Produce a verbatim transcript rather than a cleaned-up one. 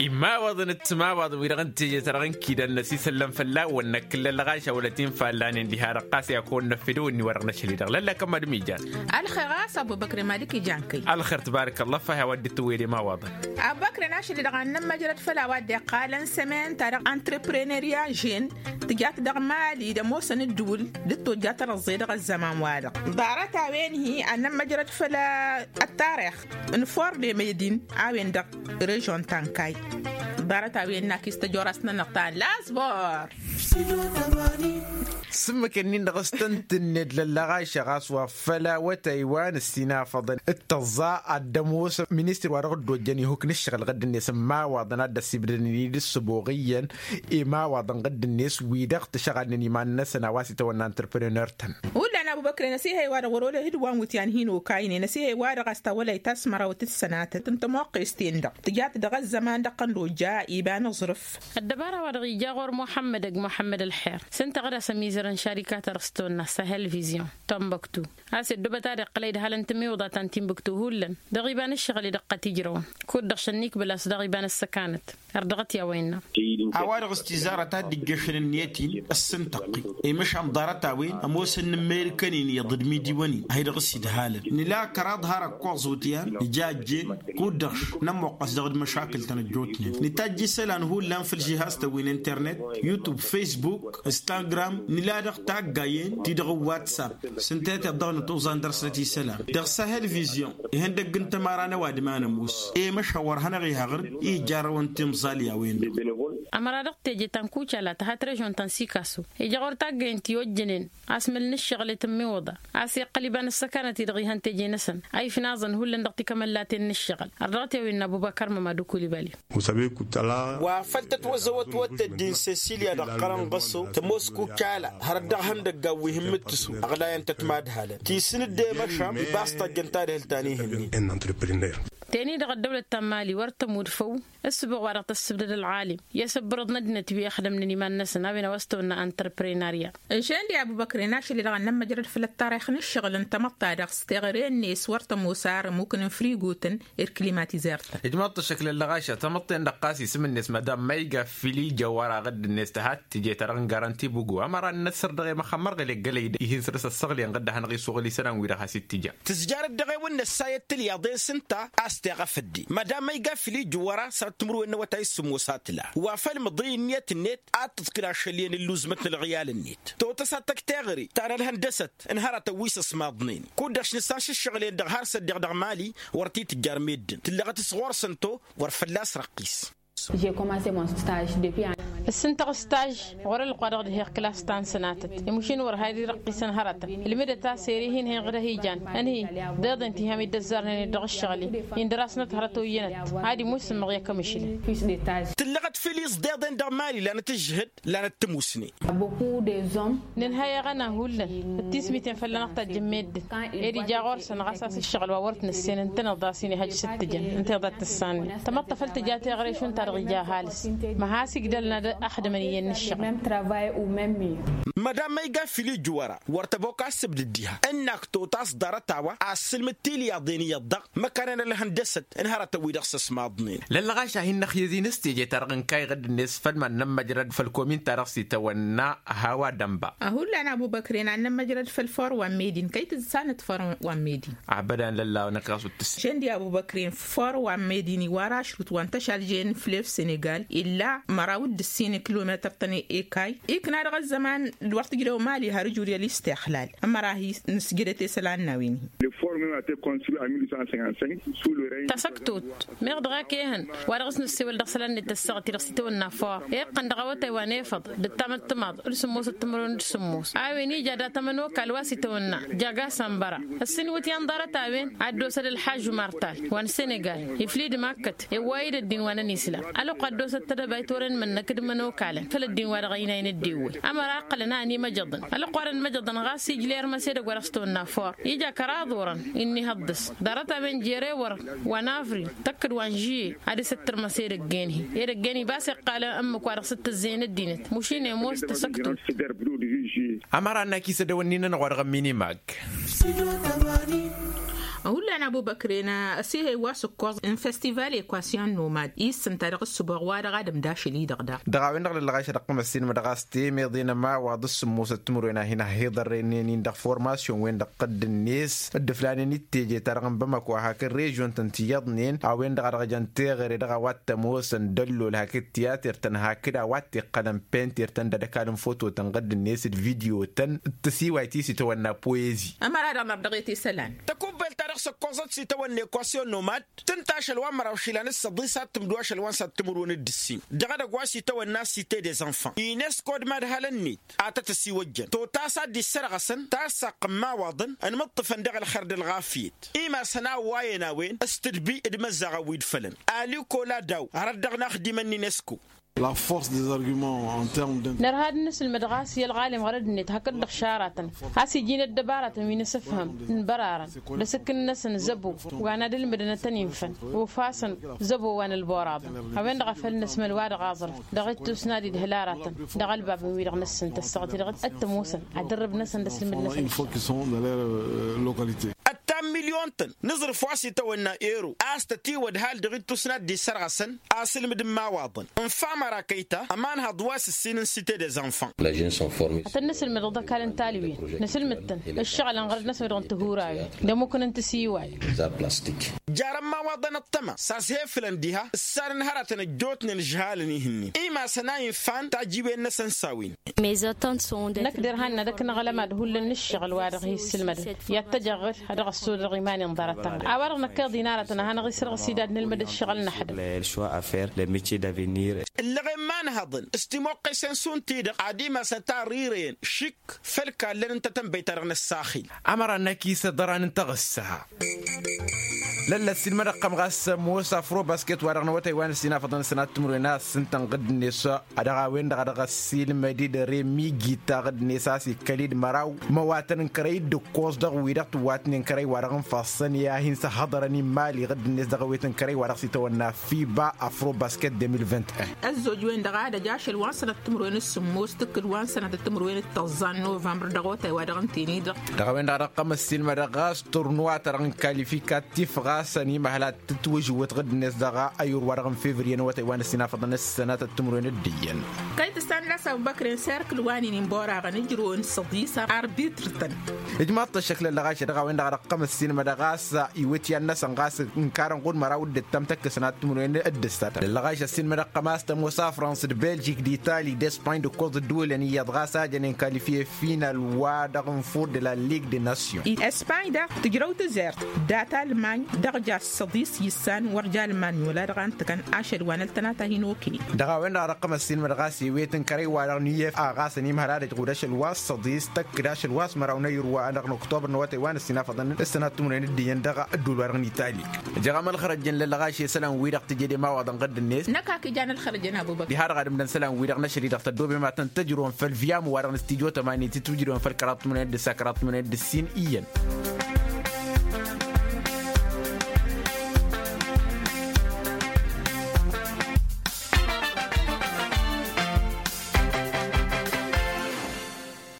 Imawaḍăn d-timawaḍăn wi-dăɣ n-teje-ta-dăɣ n-kidăn-năs isăllăn fălla-wăn năkkǝllăn lăɣaša wăla t-infallan-en diha-dăɣ ɣas i-ad-kăwăn-năfed ăwǝnni-wa-dăɣ n-ašăl-i-dăɣ lălla kămm-ad-mijan. Ălxer ɣas abubăkre malik ijan kăy. Ălxer tbarăk ăllah fah i-a-wa dd-tǝwwed imawaḍăn. Abubăkre n-ašăl-i-dăɣ ad-nămmăjrăd făll-a-wa dd-iqqalăn sămen-ta-dăɣ antrepreneriya žen tǝjat dăɣ-mali d-ămoosăn ǝddǝwǝl d-tojjat ărăẓẓe dăɣ-ăzzăman-wa-dăɣ. Ḍarăt-a-wen-hi ad-nămmăjrăd făll-ăttarix n-ford emedin a-wen-dăɣ režon ta n-kayy. Ḍarăt-a-wen n-akis tăjorast-nănăɣ ta n-lasbor. S-ǝmmǝk-ǝnnin-dăɣ s-tăn-tǝnned lăllăɣaša ɣas wa făll-awătay wa n-ǝssinafăḍăn d-tăẓẓa ad-dd-ămoos ministăr wa dăɣ-dd-ojjăn ihuk n-ǝššăɣǝl ɣǝdd-net n-imawaḍăn ad-dd-ăssibdădăn-dd s-sǝbuɣ iyyăn imawaḍăn ɣǝdd-net wi-dăɣ tǝšɣalnen iman-năsăn a-wa s-itawănna antreprenăr-tăn. Hullan abubăkre n-asihăy-wa-dăɣ wăr-olăh d-wa n-wǝtyan hin-okaynen asihăy-wa-dăɣ a-s tawălayt asmărawăt d-sănatăt n-tămoqqes-ten-dăɣ tǝjat dăɣ-ăzzăman dăɣ-tăn d-ojja iba n-aẓrǝf. Ăddăbara-wa-dăɣ ija ɣur-muḥămmăd ăgg muḥămmăd ălxer s-ǝnta ɣǝd-as ămizăr n-šarikat-ta-dăɣ s-tawănna sahel vision tombăktu a-s ăddubăt ad-iqqăl idhalăn tǝmmiwǝḍa ta n-timbǝktu hullan dăɣ-iba n-ǝššăɣǝl-i dăɣ-qăt ijrăwăn kud-dăɣ šănnikbǝl a-s dăɣ-iba n-ăssăkanăt. Ărdăɣăt i-a-wa innă. A-wa-dăɣ s-tizarăt a dd-ijjăšăn ǝnniyăt-in ăssintăqqi i-măšan ḍarăt-a-wen ămoosăn n-ămmerikăn-in iyyăḍ d-imidiwăn-in a hi-dăɣ s-idhalăn nǝla kăraḍ har ăkkoẓ wǝtyan nǝjajjen kud-dăɣ nămmoqqăs dăɣ-dd-măšakǝl-tăn ăjjootnen nǝtajj isălan hullan făll-žihaz-tăn wi n-internet yutub facebook instagram nǝla dăɣ-taggayen-ti-dăɣ n-whatsapp s-ǝnta i-tiḍăɣnăt uẓan dăr-snăt isălan dăɣ-sahel vision ihăndăgg n-tămara n-ăwadǝm a nămoos i-măšan wăr hanăɣ-iha ɣǝr-i ija arrăwăn timẓal i-a-wen-dăɣ. Ămăra dăɣ-teje ta n-kucala tăhat režon ta n-sikaso ija ɣur-taggăyăn ti ojjănen asmǝl n-ǝššăɣǝl i-tǝmmiwǝḍa a-s iqqăl iba n-ăssăkanăt-i-dăɣ ihăn teje-năsăn a ifnaẓăn hullan dăɣ-tikămăllaten n-ǝššăɣǝl. Ărdăɣăt i-a-wa innă abubăkar mămadu kulibali. Wa făl tătwăzzăwăt wăr tăddin sesilya dăɣ-qărăn ɣăso tămoos kucala hărăt dăɣ-ihăndăggan wi hǝmmǝttǝsu ăɣlayăn-tăt madhalăn tisǝn dd-emăšam iba a-s tajjăn tadhǝlt ta n-ihǝnnin. Teni-dăɣ ăddăwlăt ta n-mali wăr tămud făw ǝssǝbuɣ wa dăɣ-tăssǝbdăd ălɣalim i-asǝbbărăḍ n-ăddinăt wi ixdămnen iman-năsăn a-wen a-wa s-tăwănna antrăprenarya. Ǝnšăyăn-di abubăkre n-ašăl-i-dăɣ ad-nămmăjrăd făll-ăttarix n-ǝššăɣǝl n-tamăḍt-ta-dăɣ s-teɣăre-net wăr tămoos ar ămmuk n-infrigutăn irkǝlimatizert-tăn. Ǝjmăḍ-t ăššăk lăllăɣaša tamăḍt-ten-dăɣ ɣas isǝm-net madam mayga fili jăwăra ɣǝdd-net tăhat tǝje ta dăɣ-n garanti bugu ămăra n-inăssăr dăɣ-e măxxămmărɣel eggălăy-dăɣ ihǝnsăr s-ăssăɣliyăn ɣǝdd a hanăɣ-isuɣǝl isălan-wi-dăɣ has-ittǝja. Tǝzjarăt dăɣ-ewăn n-ăssayăt tilyaḍen s-ǝnta a-s teɣăf ăddin madam mayga fili jăwăra săr-ăttǝmǝrwen n-awătay s-sǝmmos a tǝla wa făl mǝḍǝy ǝnniyăt-net ad-tǝḍkǝl ašăl iyyăn ǝlluzmăt n-ălɣiyalăn-net totăs ad-tăkk teɣăre ta n-ălhăndăsăt n-hărătăn wi s-ăsmaḍnen kud-dăɣ š-nǝssan šǝššăɣǝl-en-dăɣ har s-ăddiɣ dăɣ-mali wăr t-tǝjjar meddǝn tǝllăɣăt s-ɣur-săn to wăr fălla-s răqqis. Ǝssǝntăɣ staj ɣur-ălwăqq wa dăɣ-dd-heɣ klas ta n-sănatăt imušin wăr had-irăqqisăn hărătăn ǝlmǝdăt a-s ere-hin-heɣ d-ăhijan ănhǝy d-iḍen ti ham-dd-ăzzarnen-dd dăɣ-ǝššăɣǝl-i indăr-asnăt hărăt oyyănăt. Ad-imusǝmmăɣ i-akămǝšǝlăn. Tǝllăɣăt filiẓ d-iḍen dăɣ-mali lanăt ǝžžǝhǝd lanăt tămusne. Nǝnhăy aɣăna hullan d-tismiten fălla-năɣ tajjǝn meddǝn ed ija ɣur-săn ɣas a-s ǝššăɣǝl wa wăr t-nǝssen ǝntăneḍ a-s inihăj s-ǝttǝjăn ǝnta iḍa t-tǝssannen tamăḍt ta făl tǝja teɣăre šund ta dăɣ-ija ăhalǝs. Măhas igdălăn ad-ăxdǝmăn iyyăn n-ǝššăɣǝl. Mădam ma iga fili jǝwăra wăr tăbok a ǝssǝbdǝd diha ǝnnak totas ḍarăt-a-wa assǝlmǝd tilyaḍen iyyăḍ-dăɣ măkanen ălhăndăsăt n-hărătăn-wi-dăɣ s-ăsmaḍnen. Lăllăɣaš a hin-năxyăz-in s-teje-ta-dăɣ n-kayy ɣǝdd-net făll-iman n-ămmăjrăd făll-komin-ta-dăɣ s-itawănna hawa dănba. Hullan abubăkren ad-nămmăjrăd făll-for wa n-medin kăy-tǝssanăt for wa n-medin. Abădan lălla-năk ɣas wǝttǝs. Šăndi abubăkren for wa n-medin iwar ašrut wa n-tăšaljen flef senegal illa măraw d-ǝssin kilometăr-tăn ekay ikna dăɣ-ăzzăman d-wăr tǝjrăw mali har ǝjur i-ălistixlal. Ămăra-hi nǝsjădăt isălan n-a-wen-hi. Tasăktot meɣ dăɣ-ak ehăn wa dăɣ-s nǝssewăl dăɣ-isălan-net tăssaɣăt-i-dăɣ s-itawănna for iqqăn dăɣ-awătay wa n-efăḍ d-ǝttamăt timaḍ d-sǝmmosăt timǝrwen d-sǝmmos a-wen ija dat-ămănokal wa s-itawănna jaga sambăra. Ǝssin iwǝtyan ḍarăt a-wen ad-dd-osăd ălḥažžu martal wa n-senegal iflid makkăt ewway-dd ăddin wa n-ănislam ălwăqq ad-dd-osăd tedăbayt wăren mănnăk d-imănokalăn făll-ăddin wa dăɣ-ăynayăn ăddewăy. Ămăra iqqălăn a ănimăjăḍăn ălwăqq wa dăɣ-inmăjăḍăn ɣas ijla i-ărmăse edăgg wa dăɣ-s tăwănna for ija kăraḍ orăn innihăḍḍăs ḍarăt a-wen jer-ewăr wa n-avril tăkk-dd wa n-žuye ad-dăr-s ăttărmăs edăgg-en-hi edăgg-en-hi ba s-iqqalăn ǝmmǝk wa dăɣ-s ǝttǝzzeyăn ăddinăt mušin ămoos tăsăktut. Ămăra ănn-ak isădăwăn n-inănăɣ wa dăɣ-ămminimag. Hullan Ăbubăkren ăsihăy wa s-ǝkkoẓ n-festival ekwasyon nomad i-ǝssǝnta dăɣ-ǝssǝboɣ wa dăɣ-ad-ǝmdašǝl-i-dăɣ daɣ. Dăɣ-a-wen-dăɣ lăllăɣaš ad-ăqqăm ăssiilmădăɣ a-s temeḍe n-ămawaḍ s-sǝmmosăt timǝrwen a hin-ăhhiḍărrăynen-in dăɣ-formasyon-wen-dăɣ tădd-net dd-ǝflanen i-teje-ta-dăɣ n-bamăko a hakd režyon-tăn ti iyyăḍnen a-wen-dăɣ a dăɣ-jăn teɣăre dăɣ-a-wa t-ămoosăn dăllol hakd tiyater-tăn hakd a-wa t-iqqălăn penter-tăn d-ad-ăkall n-foto-tăn ɣǝdd-net d-video-tăn d-tisiwayt i-s itawănna poezi. Ămăra-dăɣ năr dăɣ-e-t isălan. Tăkubbelt-ta-dăɣ s-ǝkkoẓăt s-itawănna ekwasyon nomad tǝnta ašăl wa n-măraw išilan s-săḍisat tǝmdu ašăl wa n-săttǝmǝrwen d-ǝssin dăɣ-edăgg wa s-itawănna site des enfants unesco d-imadhalăn-net. Ad-tăt-ăsiwăjjăn totas ad-dd-issărɣăsăn tasaɣt n-imawaḍăn ănmǝṭṭǝfăn dăɣ-ălxer d-ălɣafyăt. Imasăn a ăwwayăn a-wen s-tǝdbi d-imăzzaɣăn wi d-fălăn. Aliko ladaw hărăt dăɣ-inaxdimăn n-unesco. La force des arguments en terme d-. Nărha ad-nǝsǝlmăd ɣas i-ălɣalim ɣărăd-net hakd-dăɣ šaratăn a-s iji n-ăddăbaratăn wi n-asǝfhǝm n-bărarăn d-asǝkkǝn-năsăn zăbo wa n-ad-ǝlmǝdăn ad-tăn-infăn. Ufasăn zăbo wa n-ălboraḍăn a-wen-dăɣ a făl năsmăl wa dăɣ-aẓrǝf dăɣ-ittus n-ad-idhǝl aratăn dăɣ-ălbabăn-wi-dăɣ năssǝntăssăɣ-t-dăɣ d-ăttămoosăn ad-ărrǝb-năsăn d-asǝlmǝd-năsăn. Ăttan milyon-tăn n-aẓrǝf wa s-itawănna ero a-s tătiwădhal dăɣ-ittus n-ad-dd-issărɣăsăn asǝlmǝd n-imawaḍăn. N-famăra kăy-ta ămanhăḍ wa s-ǝssin n-site des enfants. Ad-tăn-nǝsǝlmǝdăɣ d-ăkall n-talwen nǝsǝlmǝd-tăn ǝššăɣǝlăn ɣărăt-năsăn dăɣ-n tihurawen d-ămmukăn n-tisiway. Jarăn imawaḍăn ăṭṭăma s-a-s hefǝlăn diha ǝssanăn hărătăn ăjjootnen ǝžhalăn ihǝnnin imasăn a infan tajiwen-năsăn s-a-wen. Năkk derhan n-ad-ăkk năɣlăm ad-hullan n-ǝššăɣǝl wa dăɣ-hi-ǝssǝlmădăn i-ad-tăjăɣɣǝl ad-dăɣ-ăssodăɣ iman-in ḍarăt-tăn. A-wa-dăɣ năkk iḍinarătăn ad-hanăɣ-isrăɣǝs idad n-ălmăd ǝššăɣǝl n-ăḥdăl. Ǝllăɣen imanhăḍăn s-timoqqesen šund-ti-dăɣ ad-imasăn tarrirăyăn šik făll-kallăn n-tatănbăyt-ta-dăɣ n-ăssaxil. Ămăra n-akis ăḍran n-taɣǝssa. Lălla ăssiilmăd ăqqăm ɣas ămoos afrobasket wa dăɣ-năwătay wa n-ăssinafăḍăn ǝssănat timǝrwen a ǝssǝntăn ɣǝdd-net. Dăɣ-a-wen-dăɣ a dăɣ-ăssiilmăd-dd remi gita ɣǝdd-net a-s ikkăl-dd măraw măwatăn n-kărăy d-ǝkkoẓ dăɣ-wi-dăɣ tǝwwatnen kărăy wa dăɣ-n fassăn i-ad-hin-săhhăḍărăn imali ɣǝdd-net dăɣ-ewet n-kărăy wa dăɣ-s itawănna fiba afrobasket deux mille vingt et un. Ăzzoj-wen-dăɣ a ădăj ašăl wa n-sănăt timǝrwen d-sǝmmos tǝkkǝd wa n-sănăt timǝrwen d-tăẓẓa n-novămbăr dăɣ-otay wa dăɣ-n teni-dăɣ. Dăɣ-a-wen-dăɣ a dăɣ-tăm ăssiilmădăɣ ɣas turnuwa ta dăɣ-n kalifikat tifɣasăn imăhăl ad-tǝtwǝžǝwǝt ɣǝdd-net dăɣ-ayǝr wa dăɣ-n fevriye n-awătay wa n-ăssinafăḍăn ǝssănatăt timǝrwen d-iyyăn. Kăy-tǝssan d-asăbăkrăn serkǝl wa n-inǝnbor aɣăn ǝjrǝwăn săḍisa arbitr-tăn. Ijmaḍ-t ăššăk lăllăɣašăt dăɣ-a-wen-dăɣ a dăɣ-tăm ăssiilmădăɣ ɣas iwǝtyan-năsăn ɣas ǝnkarăn ɣud măraw d-ǝttam tăkk ăsnat timǝrwen d-ǝssatăt lăllăɣašăt ăssiilmădăɣ tăm a-s tămoos afrans d-beljik d-itali d-espany d-ǝkkoẓ ǝddǝwǝlăn iyyăḍ ɣas a jănen kalifiye final wa dăɣ-n fur de la ligue de nation. Espany daɣ tǝjrăw tǝzert dat-almany dăɣ-ja s-săḍis issan wăr j-almany wăla dăɣ-a n-tǝkăn ašăl wa n-ăltănat a hin-okăyăn. Dăɣ-a-wen-dăɣ a dăɣ-tăm ăssiilmădăɣ a-s iwet n-kărăy-wa-dăɣ n-iyef a ɣas ănimhăl ad-ăj ɣud ašăl wa s-săḍis tăkk d-ašăl wa s-măraw n-ayǝr wa dăɣ-năktobăr n-awătay wa n-ăssinafăḍăn d-sănat timǝrwen d-iyyăn dăɣ-ăddul wa dăɣ-n itali. Jăɣăm ălxărăjăn lăllăɣaš i-isălan-wi-dăɣ tǝjed i-imawaḍăn ɣǝdd-net. Năkk a k-ijan ălxărăjăn abubăkr diha-dăɣ ad-ǝmdăn isălan-wi-dăɣ n-ašăl-i-dăɣ tăddoobem ad-tăn-tǝjrǝwăn făll-viyam wa dăɣ-nǝstidyo tămani tǝtwǝjrǝwăn făll-kăraḍ timǝrwen d-ǝssa kăraḍ timǝrwen d-ǝssin iyyăn.